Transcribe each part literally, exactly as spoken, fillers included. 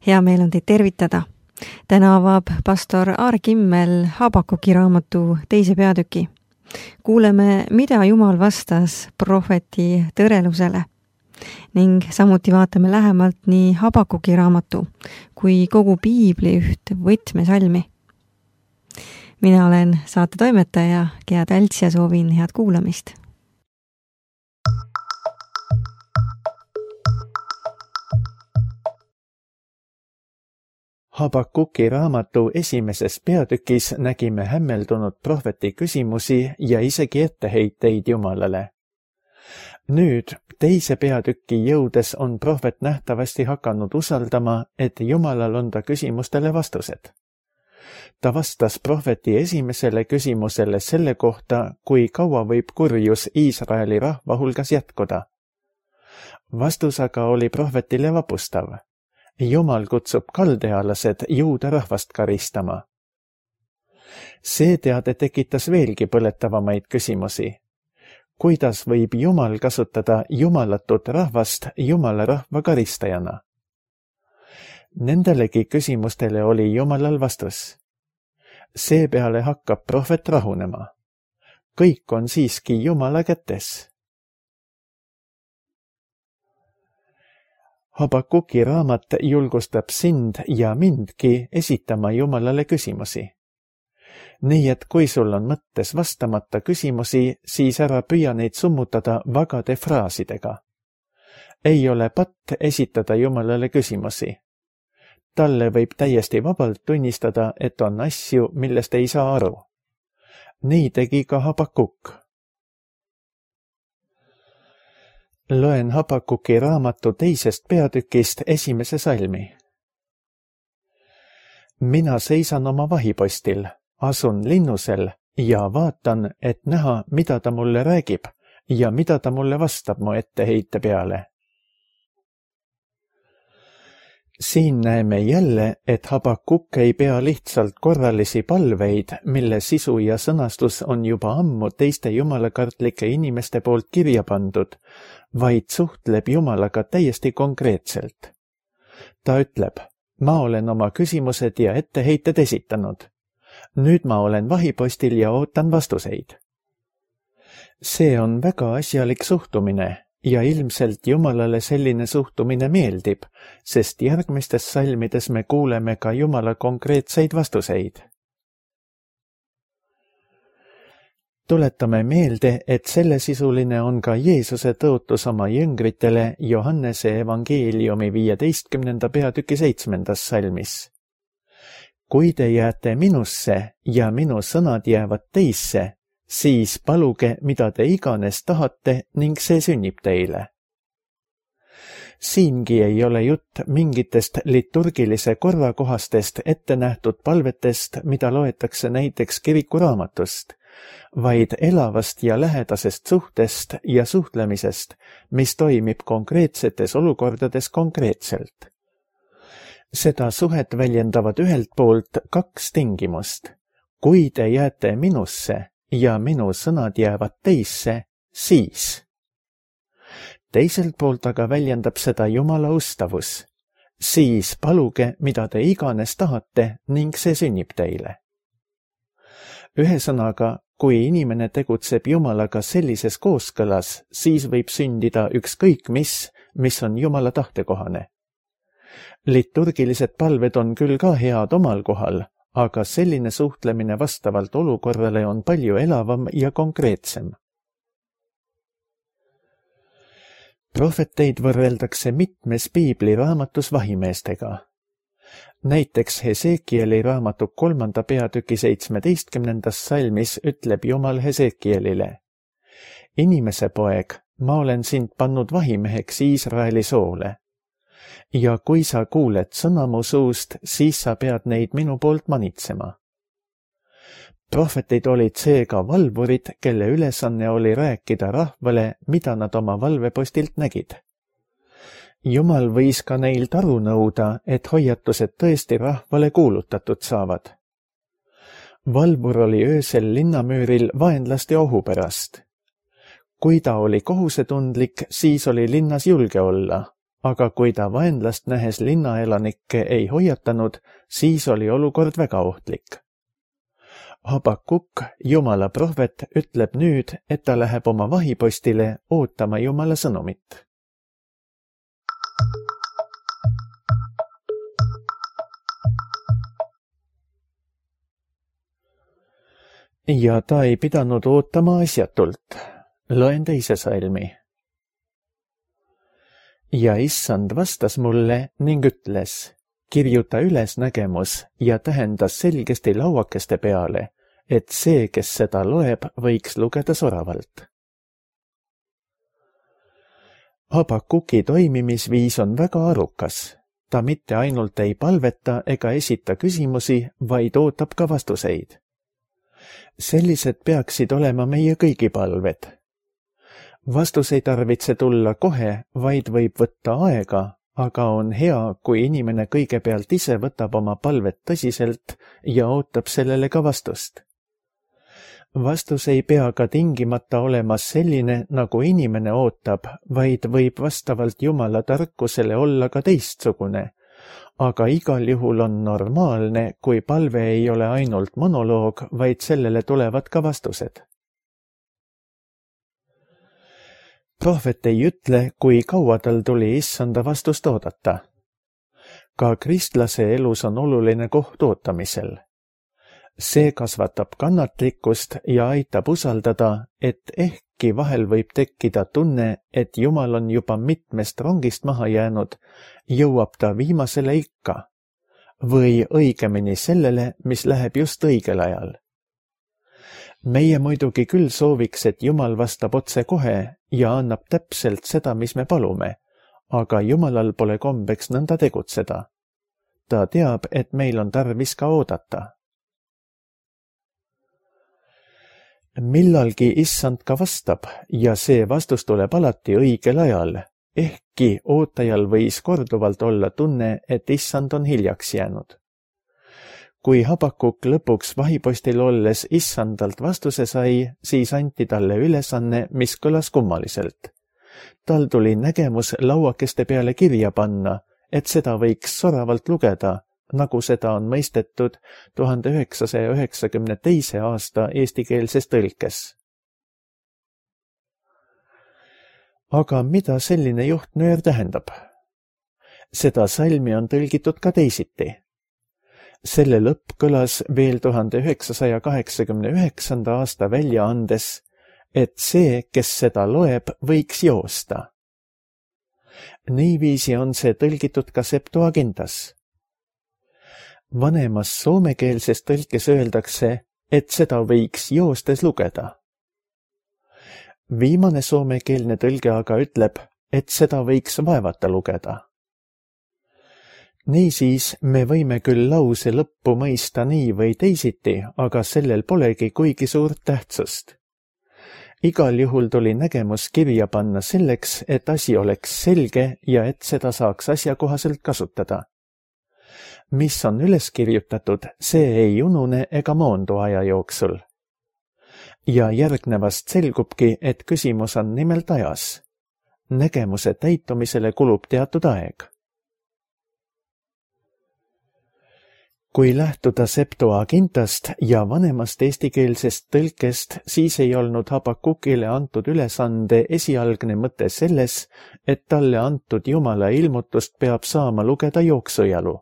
Hea meel on teid tervitada. Täna avab pastor Aar Kimmel Habakuki raamatu teise peatüki. Kuuleme, mida Jumal vastas prohveti tõrelusele ning samuti vaatame lähemalt nii Habakuki raamatu kui kogu piibli üht võtmesalmi. Mina olen saate toimetaja Gea Tälts ja soovin head kuulamist. Habakuki raamatu esimeses peatükis nägime hämmeldunud prohveti küsimusi ja isegi etteheiteid Jumalale. Nüüd teise peatükki jõudes on prohvet nähtavasti hakanud usaldama, et Jumalal on ta küsimustele vastused. Ta vastas prohveti esimesele küsimusele selle kohta, kui kaua võib kurjus Iisraeli rahva hulgas jätkuda. Vastus aga oli prohvetile vapustav. Jumal kutsub kaldealased juuda rahvast karistama. See teade tekitas veelgi põletavamaid küsimusi. Kuidas võib Jumal kasutada jumalatut rahvast Jumala rahva karistajana? Nendelegi küsimustele oli Jumalal vastus. Seepeale hakkab prohvet rahunema. Kõik on siiski Jumala kätes. Habakuki raamat julgustab sind ja mindki esitama Jumalale küsimusi. Nii et kui sul on mõttes vastamata küsimusi, siis ära püüa neid summutada vagade fraasidega. Ei ole patt esitada Jumalale küsimusi. Talle võib täiesti vabalt tunnistada, et on asju, millest ei saa aru. Nii tegi ka Habakuk. Loen Habakuki raamatu teisest peatükist esimese salmi. Mina seisan oma vahipostil, asun linnusel ja vaatan, et näha, mida ta mulle räägib ja mida ta mulle vastab mu etteheite peale. Siin näeme jälle, et Habakuk ei pea lihtsalt korralisi palveid, mille sisu ja sõnastus on juba ammu teiste jumalakartlike inimeste poolt kirja pandud, vaid suhtleb Jumalaga täiesti konkreetselt. Ta ütleb, ma olen oma küsimused ja etteheited esitanud. Nüüd ma olen vahipostil ja ootan vastuseid. See on väga asjalik suhtumine ja ilmselt Jumalale selline suhtumine meeldib, sest järgmistes salmides me kuuleme ka Jumala konkreetseid vastuseid. Tuletame meelde, et sellesisuline on ka Jeesuse tõotus oma jüngritele Johannese evangeeliumi viieteistkümnenda peatüki seitsmendas salmis. Kui te jääte minusse ja minu sõnad jäävad teisse, siis paluge, mida te iganes tahate ning see sünnib teile. Siingi ei ole jutt mingitest liturgilise korrakohastest ette nähtud palvetest, mida loetakse näiteks kirikuraamatust, vaid elavast ja lähedasest suhtest ja suhtlemisest, mis toimib konkreetsetes olukordades konkreetselt. Seda suhet väljendavad ühelt poolt kaks tingimust. Kui te jääte minusse ja minu sõnad jäävad teisse, siis. Teiselt poolt aga väljendab seda Jumala ustavus. Siis paluge, mida te iganes tahate ning see sünnib teile. Ühesõnaga, kui inimene tegutseb Jumalaga sellises kooskõlas, siis võib sündida ükskõik mis, mis on Jumala tahtekohane. Liturgilised palved on küll ka head omal kohal, aga selline suhtlemine vastavalt olukorrale on palju elavam ja konkreetsem. Prohveteid võrreldakse mitmes piibli raamatus vahimeestega. Näiteks Hesekieli raamatu kolmanda peatüki seitsmeteistkümnendas salmis ütleb Jumal Hesekielile. Inimese poeg, ma olen sind pannud vahimeheks Iisraeli soole. Ja kui sa kuuled sõna mu suust, siis sa pead neid minu poolt manitsema. Prohvetid olid seega valvurid, kelle ülesanne oli rääkida rahvale, mida nad oma valvepostilt nägid. Jumal võis ka neilt aru nõuda, et hoiatused tõesti rahvale kuulutatud saavad. Valvur oli öösel linnamüüril vaenlaste ohu pärast. Kui ta oli kohusetundlik, siis oli linnas julge olla. aga kui ta vaenlast nähes linnaelanikke ei hoiatanud, siis oli olukord väga ohtlik. Habakuk, Jumala prohvet, ütleb nüüd, et ta läheb oma vahipostile ootama Jumala sõnumit. Ja ta ei pidanud ootama asjatult. Loen teise salmi. Ja issand vastas mulle ning ütles, kirjuta üles nägemus ja tähendas selgesti lauakeste peale, et see, kes seda loeb, võiks lugeda soravalt. Habakuki toimimisviis on väga arukas. Ta mitte ainult ei palveta ega esita küsimusi, vaid ootab ka vastuseid. Sellised peaksid olema meie kõigi palved. Vastus ei tarvitse tulla kohe, vaid võib võtta aega, aga on hea, kui inimene kõigepealt ise võtab oma palvet tõsiselt ja ootab sellele ka vastust. Vastus ei pea ka tingimata olema selline, nagu inimene ootab, vaid võib vastavalt Jumala tarkusele olla ka teistsugune. Aga igal juhul on normaalne, kui palve ei ole ainult monoloog, vaid sellele tulevad ka vastused. Prohvet ei ütle, kui kaua tal tuli issanda vastust oodata. Ka kristlase elus on oluline koht ootamisel. See kasvatab kannatlikkust ja aitab usaldada, et ehkki vahel võib tekkida tunne, et Jumal on juba mitmest rongist maha jäänud, jõuab ta viimasele ikka, või õigemini sellele, mis läheb just õigel ajal. Meie muidugi küll sooviks, et Jumal vastab otse kohe ja annab täpselt seda, mis me palume, aga Jumalal pole kombeks nõnda tegutseda. Ta teab, et meil on tarvis ka oodata. Millalgi issand ka vastab ja see vastus tuleb alati õigel ajal, ehkki ootajal võis korduvalt olla tunne, et issand on hiljaks jäänud. Kui Habakuk lõpuks vahipostil olles issandalt vastuse sai, siis anti talle ülesanne, mis kõlas kummaliselt. Tal tuli nägemus lauakeste peale kirja panna, et seda võiks soravalt lugeda, nagu seda on mõistetud tuhande üheksasaja üheksakümne teise aasta eestikeelses tõlkes. Aga mida selline juhtnöör tähendab? Seda salmi on tõlgitud ka teisiti. Selle lõpp kõlas veel tuhande üheksasaja kaheksakümne üheksanda aasta väljaandes, et see, kes seda loeb, võiks joosta. Niiviisi on see tõlgitud ka Septuagintas. Vanemas soomekeelses tõlkes öeldakse, et seda võiks joostes lugeda. Viimane soomekeelne tõlge aga ütleb, et seda võiks vaevata lugeda. Niisiis me võime küll lause lõppu mõista nii või teisiti, aga sellel polegi kuigi suurt tähtsust. Igal juhul tuli nägemus kirja panna selleks, et asi oleks selge ja et seda saaks asjakohaselt kasutada. Mis on üles kirjutatud, see ei unune ega moondu aja jooksul. Ja järgnevast selgubki, et küsimus on nimelt ajas. Nägemuse täitumisele kulub teatud aeg. Kui lähtuda Septuagintast ja vanemast eestikeelsest tõlkest, siis ei olnud Habakukile antud ülesande esialgne mõte selles, et talle antud Jumala ilmutust peab saama lugeda jooksujalu.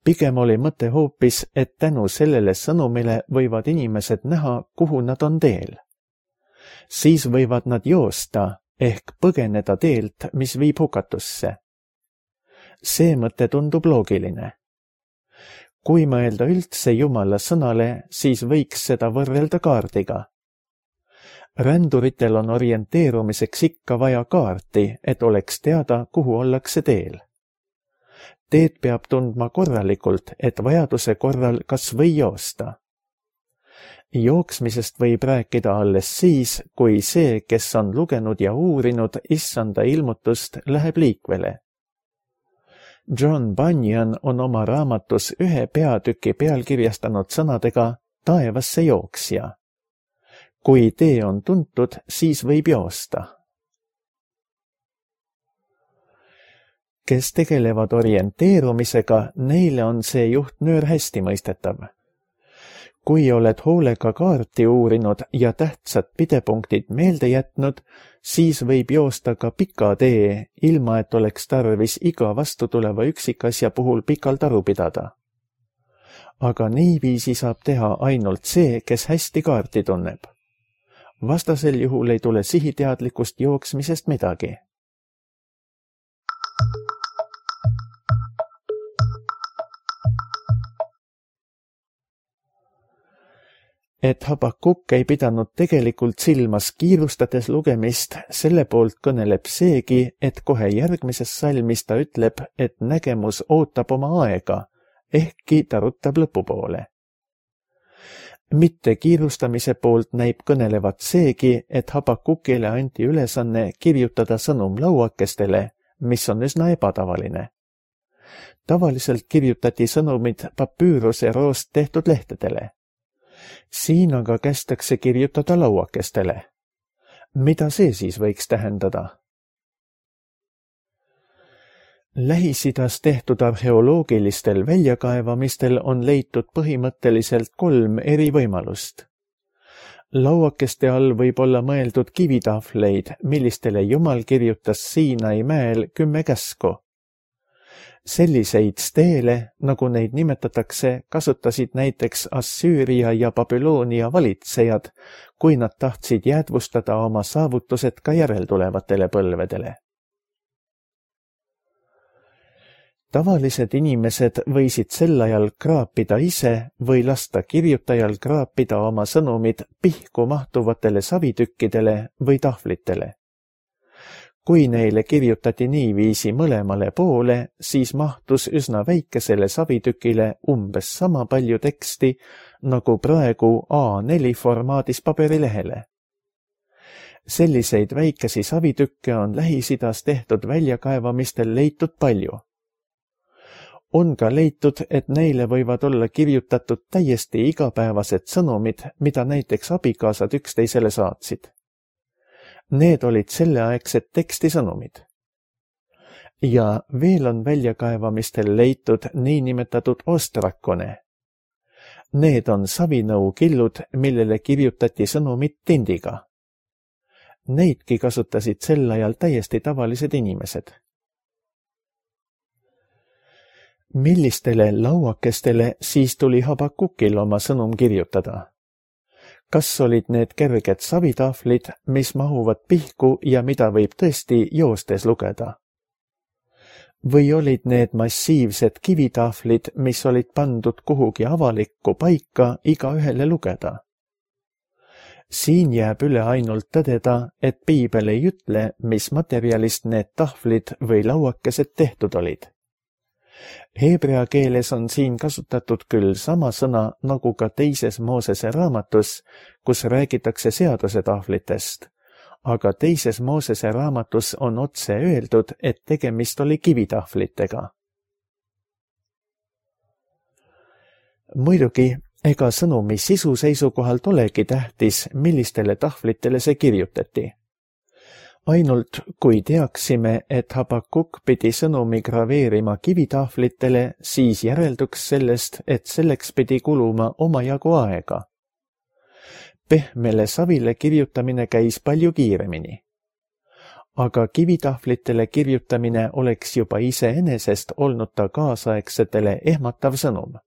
Pigem oli mõte hoopis, et tänu sellele sõnumile võivad inimesed näha, kuhu nad on teel. Siis võivad nad joosta ehk põgeneda teelt, mis viib hukatusse. See mõte tundub loogiline. Kui mõelda üldse Jumala sõnale, siis võiks seda võrrelda kaardiga. Ränduritel on orienteerumiseks ikka vaja kaarti, et oleks teada, kuhu ollakse teel. Teed peab tundma korralikult, et vajaduse korral kas või joosta. Jooksmisest võib rääkida alles siis, kui see, kes on lugenud ja uurinud issanda ilmutust, läheb liikvele. John Bunyan on oma raamatus ühe peatüki pealkirjastanud sõnadega taevasse jooksja. Kui tee on tuntud, siis võib joosta. kes tegelevad orienteerumisega, neile on see juhtnöör hästi mõistetav. Kui oled hoolega kaarti uurinud ja tähtsad pidepunktid meelde jätnud, siis võib joosta ka pika tee, ilma et oleks tarvis iga vastutuleva üksikasja puhul pikalt aru pidada. Aga niiviisi saab teha ainult see, kes hästi kaarti tunneb. Vastasel juhul ei tule sihiteadlikust jooksmisest midagi. Et Habakuk ei pidanud tegelikult silmas kiirustades lugemist, selle poolt kõneleb seegi, et kohe järgmises salmis ta ütleb, et nägemus ootab oma aega, ehkki ta ruttab lõpupoole. Mitte kiirustamise poolt näib kõnelevat seegi, et Habakukile anti ülesanne kirjutada sõnum lauakestele, mis on üsna ebatavaline. Tavaliselt kirjutati sõnumid papüüruse roost tehtud lehtedele. Siin aga kästakse kirjutada lauakestele. Mida see siis võiks tähendada? Lähis-Idas tehtud arheoloogilistel väljakaevamistel on leitud põhimõtteliselt kolm eri võimalust. Lauakeste all võib olla mõeldud kivitahvleid, millistele Jumal kirjutas Siinai mäel kümme käsku. Selliseid steele, nagu neid nimetatakse, kasutasid näiteks Assüüria ja Babyloonia valitsejad, kui nad tahtsid jäädvustada oma saavutused ka järeltulevatele põlvedele. Tavalised inimesed võisid sel ajal kraapida ise või lasta kirjutajal kraapida oma sõnumid pihku mahtuvatele savitükkidele või tahvlitele. Kui neile kirjutati niiviisi mõlemale poole, siis mahtus üsna väikesele savitükile umbes sama palju teksti, nagu praegu A neli formaadis paberilehele. Selliseid väikesi savitükke on Lähis-Idas tehtud väljakaevamistel leitud palju. On ka leitud, et neile võivad olla kirjutatud täiesti igapäevased sõnumid, mida näiteks abikaasad üksteisele saatsid. Need olid selleaegsed tekstisõnumid. Ja veel on väljakaevamistel leitud niinimetatud ostrakone. Need on savinõukillud, millele kirjutati sõnumid tindiga. Neidki kasutasid sel ajal täiesti tavalised inimesed. Millistele lauakestele siis tuli Habakukil oma sõnum kirjutada? Kas olid need kerged savitahvlid, mis mahuvad pihku ja mida võib tõesti joostes lugeda? Või olid need massiivsed kivitahvlid, mis olid pandud kuhugi avalikku paika iga ühele lugeda? Siin jääb üle ainult tõdeda, et piibel ei ütle, mis materjalist need tahvlid või lauakesed tehtud olid. Heebrea keeles on siin kasutatud küll sama sõna nagu ka teises Moosese raamatus, kus räägitakse seaduse tahvlitest, aga teises Moosese raamatus on otse öeldud, et tegemist oli kivitahvlitega. Muidugi, ega sõnumi sisu seisukohalt olegi tähtis, millistele tahvlitele see kirjutati. Ainult kui teaksime, et Habakuk pidi sõnumi graveerima kivitahvlitele, siis järelduks sellest, et selleks pidi kuluma omajagu aega. Pehmele savile kirjutamine käis palju kiiremini. Aga kivitahvlitele kirjutamine oleks juba iseenesest olnud ta kaasaegsetele ehmatav sõnum.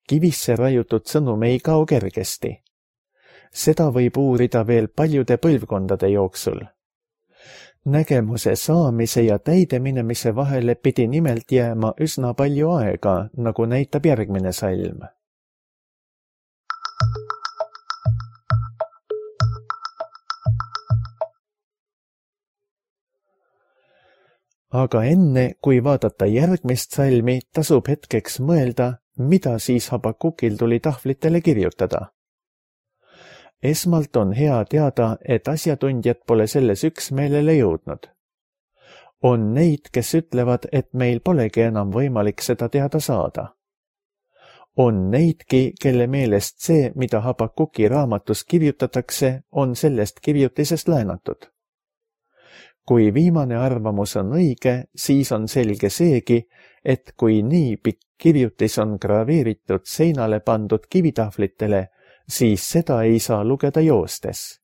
Kivisse raiutud sõnum ei kao kergesti. Seda võib uurida veel paljude põlvkondade jooksul. Nägemuse saamise ja täideminemise vahele pidi nimelt jääma üsna palju aega, nagu näitab järgmine salm. Aga enne, kui vaadata järgmist salmi, tasub hetkeks mõelda, mida siis Habakukil tuli tahvlitele kirjutada. Esmalt on hea teada, et asjatundjad pole selles üksmeelele jõudnud. On neid, kes ütlevad, et meil polegi enam võimalik seda teada saada. On neidki, kelle meelest see, mida Habakuki raamatus kirjutatakse, on sellest kirjutisest läänatud. kui viimane arvamus on õige, siis on selge seegi, et kui nii pikk kirjutis on graveeritud seinale pandud kivitahvlitele, siis seda ei saa lugeda joostes.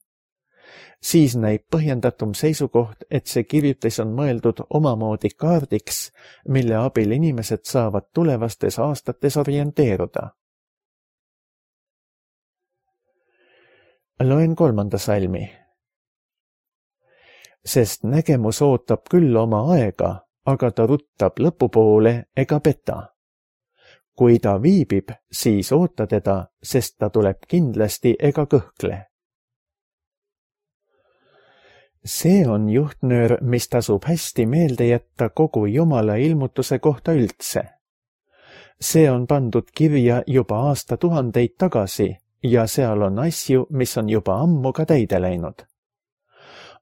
Siis näib põhjendatum seisukoht, et see kirjutis on mõeldud omamoodi kaardiks, mille abil inimesed saavad tulevastes aastates orienteeruda. Loen kolmanda salmi. Sest nägemus ootab küll oma aega, aga ta ruttab lõpupoole ega peta. Kui ta viibib, siis oota teda, sest ta tuleb kindlasti ega kõhkle. See on juhtnöör, mis tasub hästi meelde jätta kogu Jumala ilmutuse kohta üldse. See on pandud kirja juba aastatuhandeid tagasi ja seal on asju, mis on juba ammu ka täide läinud.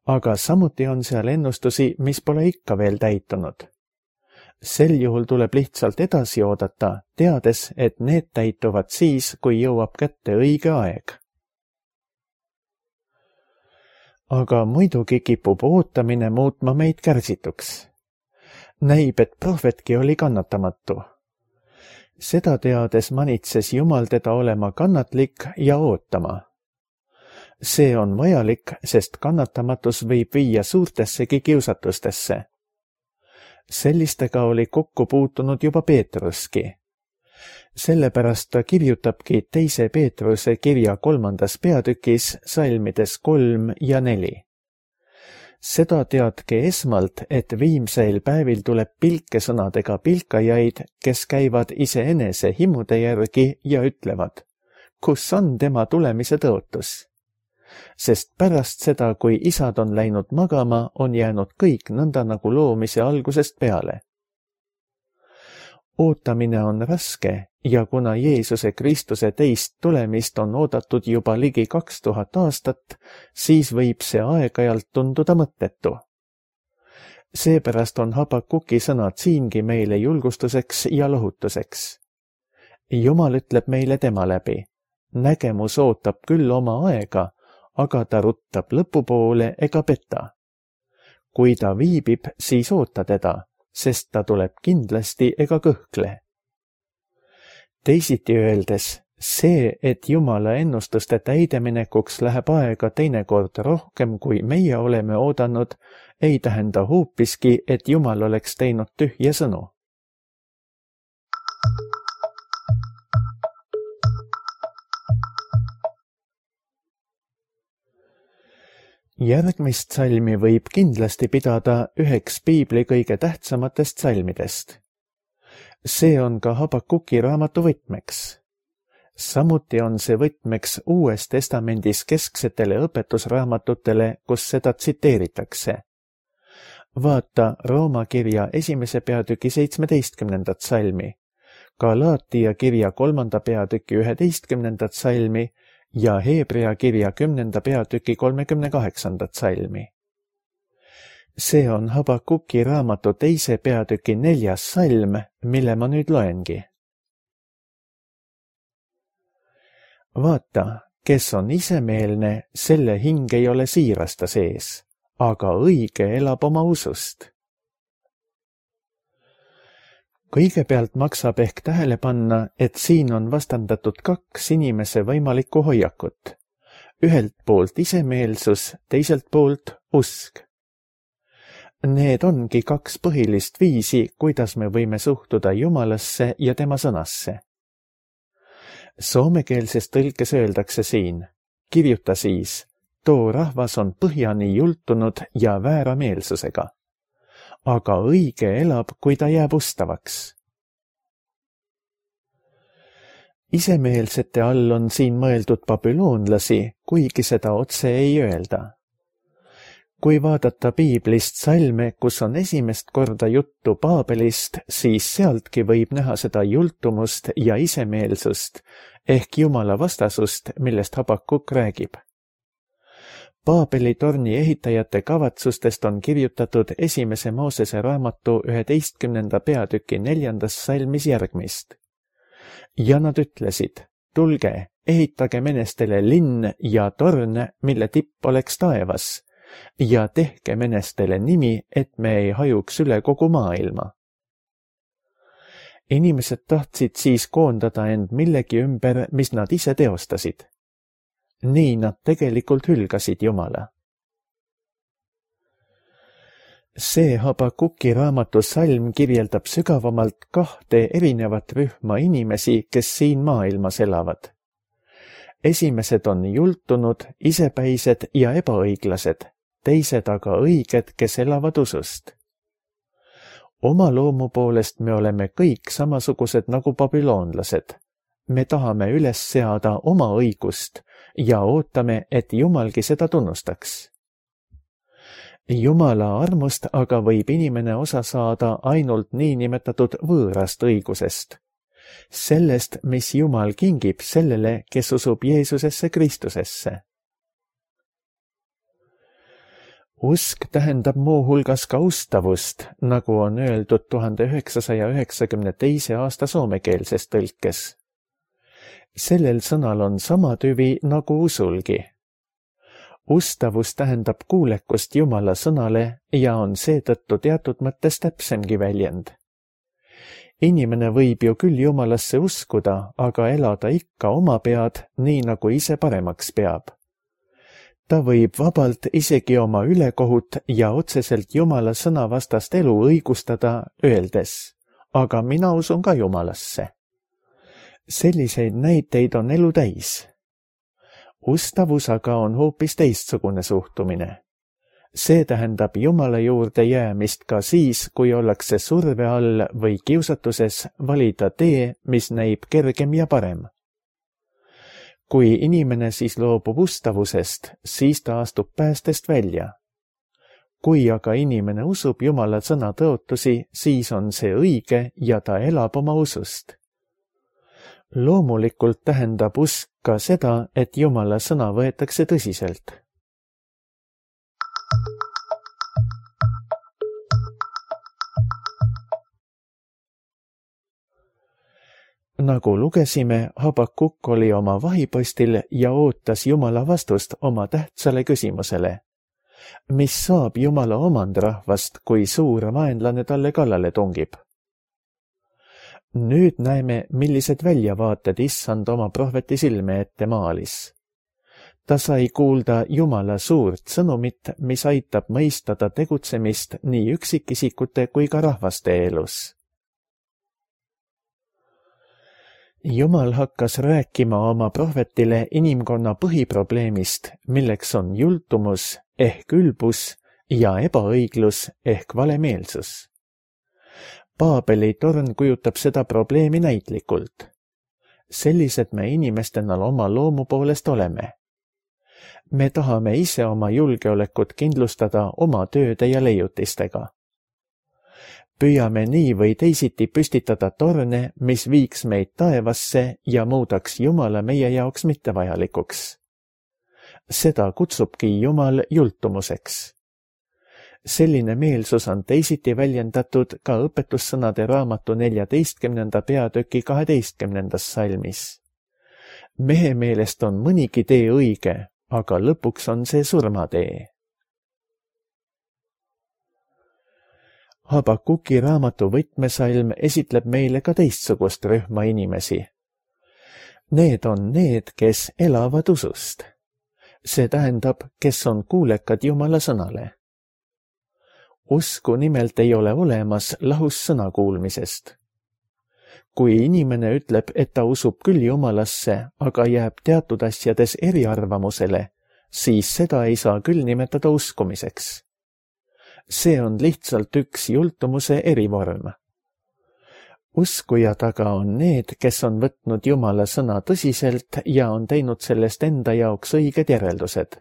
Aga samuti on seal ennustusi, mis pole ikka veel täitunud. Sel juhul tuleb lihtsalt edasi oodata, teades, et need täituvad siis, kui jõuab kätte õige aeg. Aga muidugi kipub ootamine muutma meid kärsituks. Näib, et prohvetki oli kannatamatu. Seda teades manitses Jumal teda olema kannatlik ja ootama. See on vajalik, sest kannatamatus võib viia suurtessegi kiusatustesse. Sellistega oli kokku puutunud juba Peetruski. Sellepärast ta kirjutabki teise Peetruse kirja kolmandas peatükis salmides kolm ja neli. Seda teadke esmalt, et viimseil päevil tuleb pilkesõnadega pilkajaid, kes käivad iseenese himude järgi ja ütlevad, kus on tema tulemise tõotus. Sest pärast seda, kui isad on läinud magama, on jäänud kõik nõnda nagu loomise algusest peale. Ootamine on raske ja kuna Jeesuse Kristuse teist tulemist on oodatud juba ligi kaks tuhat aastat, siis võib see aeg-ajalt tunduda mõttetu. Seepärast on Habakuki sõnad siingi meile julgustuseks ja lohutuseks. Jumal ütleb meile tema läbi, nägemus ootab küll oma aega, aga ta ruttab lõpupoole ega peta. Kui ta viibib, siis oota teda, sest ta tuleb kindlasti ega kõhkle. Teisiti öeldes, see, et Jumala ennustuste täideminekuks läheb aega teinekord rohkem, kui meie oleme oodanud, ei tähenda hoopiski, et Jumal oleks teinud tühje sõnu. Järgmist salmi võib kindlasti pidada üheks piibli kõige tähtsamatest salmidest. See on ka Habakuki raamatu võtmeks. Samuti on see võtmeks Uues Testamendis kesksetele õpetusraamatutele, kus seda tsiteeritakse. Vaata Rooma kirja esimese peatüki seitsmeteistkümnendat salmi, Galaatia kirja kolmanda peatüki üheteistkümnendat salmi ja Heebrea kirja kümnenda peatüki kolmekümne kaheksandat salmi. See on Habakuki raamatu teise peatüki neljas salm, mille ma nüüd loengi. Vaata, kes on isemeelne, selle hing ei ole siirasta sees, aga õige elab oma usust. Kõigepealt maksab ehk tähele panna, et siin on vastandatud kaks inimese võimalikku hoiakut. Ühelt poolt isemeelsus, teiselt poolt usk. Need ongi kaks põhilist viisi, kuidas me võime suhtuda Jumalasse ja tema sõnasse. Soomekeelses tõlkes öeldakse siin, kirjuta siis, too rahvas on põhjani jultunud ja väärameelsusega. Aga õige elab, kui ta jääb ustavaks. Isemeelsete all on siin mõeldud babüloonlasi, kuigi seda otse ei öelda. Kui vaadata piiblist salme, kus on esimest korda juttu Paabelist, siis sealtki võib näha seda jultumust ja isemeelsust, ehk Jumala vastasust, millest Habakuk räägib. Paabeli torni ehitajate kavatsustest on kirjutatud esimese Moosese raamatu üheteistkümnenda peatüki neljandas salmis järgmist. Ja nad ütlesid, tulge, ehitage menestele linn ja torn, mille tipp oleks taevas, ja tehke menestele nimi, et me ei hajuks üle kogu maailma. Inimesed tahtsid siis koondada end millegi ümber, mis nad ise teostasid. Nii nad tegelikult hülgasid Jumala. See Habakuki raamatu salm kirjeldab sügavamalt kahte erinevat rühma inimesi, kes siin maailmas elavad. Esimesed on jultunud, isepäised ja ebaõiglased, teised aga õiged, kes elavad usust. Oma loomu poolest me oleme kõik samasugused nagu babüloonlased. Me tahame üles seada oma õigust ja ootame, et Jumalgi seda tunnustaks. Jumala armust aga võib inimene osa saada ainult niinimetatud võõrast õigusest. Sellest, mis Jumal kingib sellele, kes usub Jeesusesse Kristusesse. Usk tähendab muuhulgas ka ustavust, nagu on öeldud tuhande üheksasaja üheksakümne teise aasta soomekeelses tõlkes. Sellel sõnal on sama tüvi nagu usulgi. Ustavus tähendab kuulekust Jumala sõnale ja on seetõttu teatud mõttes täpsemgi väljend. Inimene võib ju küll Jumalasse uskuda, aga elada ikka oma pead, nii nagu ise paremaks peab. Ta võib vabalt isegi oma ülekohut ja otseselt Jumala sõnavastast elu õigustada, öeldes, aga mina usun ka Jumalasse. Selliseid näiteid on elu täis. Ustavus aga on hoopis teistsugune suhtumine. See tähendab Jumala juurde jäämist ka siis, kui ollakse surve all või kiusatuses valida tee, mis näib kergem ja parem. Kui inimene siis loobub ustavusest, siis ta astub päästest välja. Kui aga inimene usub Jumala sõna tõotusi, siis on see õige ja ta elab oma usust. Loomulikult tähendab usk ka seda, et Jumala sõna võetakse tõsiselt. Nagu lugesime, Habakuk oli oma vahipostil ja ootas Jumala vastust oma tähtsale küsimusele. Mis saab Jumala omandrahvast, kui suur vaenlane talle kallale tungib? Nüüd näeme, millised väljavaated issand oma prohveti silme ette maalis. Ta sai kuulda Jumala suurt sõnumit, mis aitab mõistada tegutsemist nii üksikisikute kui ka rahvaste elus. Jumal hakkas rääkima oma prohvetile inimkonna põhiprobleemist, milleks on jultumus ehk ülbus ja ebaõiglus ehk valemeelsus. Paabeli torn kujutab seda probleemi näitlikult. Sellised me inimestena oma loomu poolest oleme. Me tahame ise oma julgeolekut kindlustada oma tööde ja leiutistega. Püüame nii või teisiti püstitada torne, mis viiks meid taevasse ja muudaks Jumala meie jaoks mittevajalikuks. Seda kutsubki Jumal jultumuseks. Selline meelsus on teisiti väljendatud ka õpetussõnade raamatu neljateistkümnenda peatüki kaheteistkümnendas salmis. Mehe meelest on mõnigi tee õige, aga lõpuks on see surmatee. Habakuki raamatu võtmesalm esitleb meile ka teistsugust rühma inimesi. Need on need, kes elavad usust. See tähendab, kes on kuulekad Jumala sõnale. Usku nimelt ei ole olemas lahus sõna kuulmisest. Kui inimene ütleb, et ta usub küll Jumalasse, aga jääb teatud asjades eriarvamusele, siis seda ei saa küll nimetada uskumiseks. See on lihtsalt üks jultumuse erivorm. Uskujad aga on need, kes on võtnud Jumala sõna tõsiselt ja on teinud sellest enda jaoks õiged järeldused.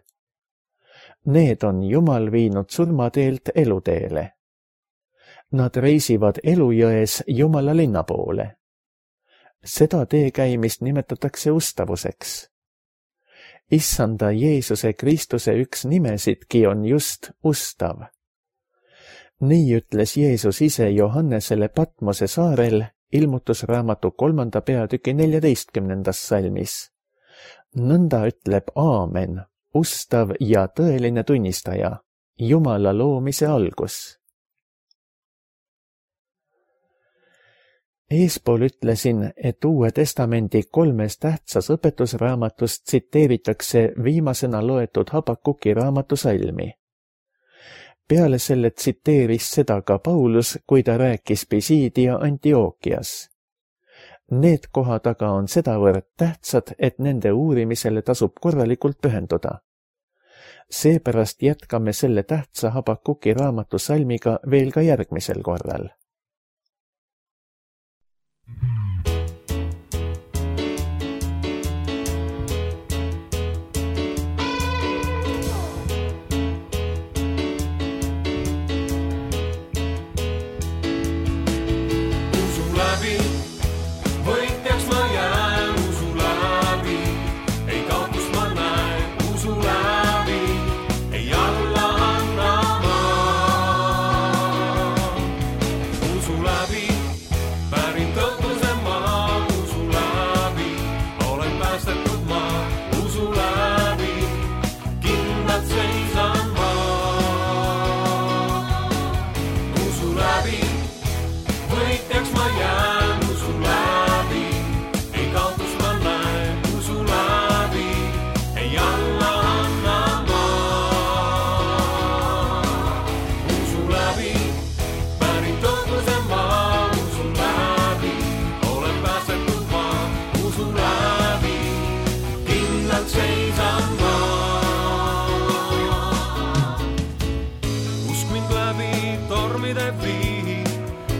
Need on Jumal viinud surmateelt eluteele. Nad reisivad elujões Jumala linna poole. Seda tee käimist nimetatakse ustavuseks. Issanda Jeesuse Kristuse üks nimesidki on just ustav. Nii ütles Jeesus ise Johannesele Patmose saarel ilmutusraamatu kolmanda peatüki neljateistkümnendas salmis. Nõnda ütleb Aamen, ustav ja tõeline tunnistaja, Jumala loomise algus. Eespool ütlesin, et Uue Testamendi kolmes tähtsas õpetusraamatus tsiteeritakse viimasena loetud Habakuki raamatu salmi. Peale selle tsiteeris seda ka Paulus, kui ta rääkis Pisidia Antiookias. Need kohad aga on sedavõrd tähtsad, et nende uurimisele tasub korralikult pühenduda. Seepärast jätkame selle tähtsa Habakuki raamatu salmiga veel ka järgmisel korral.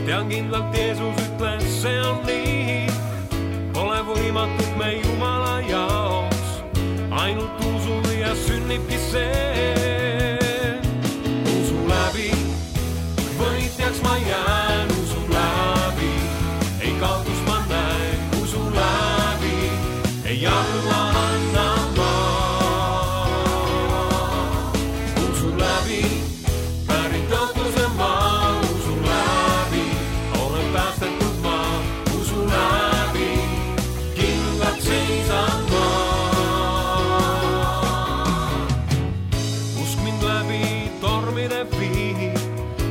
Tean kindlalt, Jeesus ütles, see on nii. Pole võimatut me Jumala jaoks, ainult usu ja sünnibki see. Usu läbi, võitjaks ma jään, usu läbi, ei kaotus ma näen, usu läbi, ei alla anna ma. Usu läbi, pärin tõotuse ma.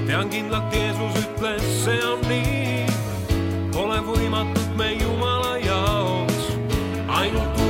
Tean kindlalt, Jeesus ütles, see on nii. Pole võimatut me Jumala jaoks, ainult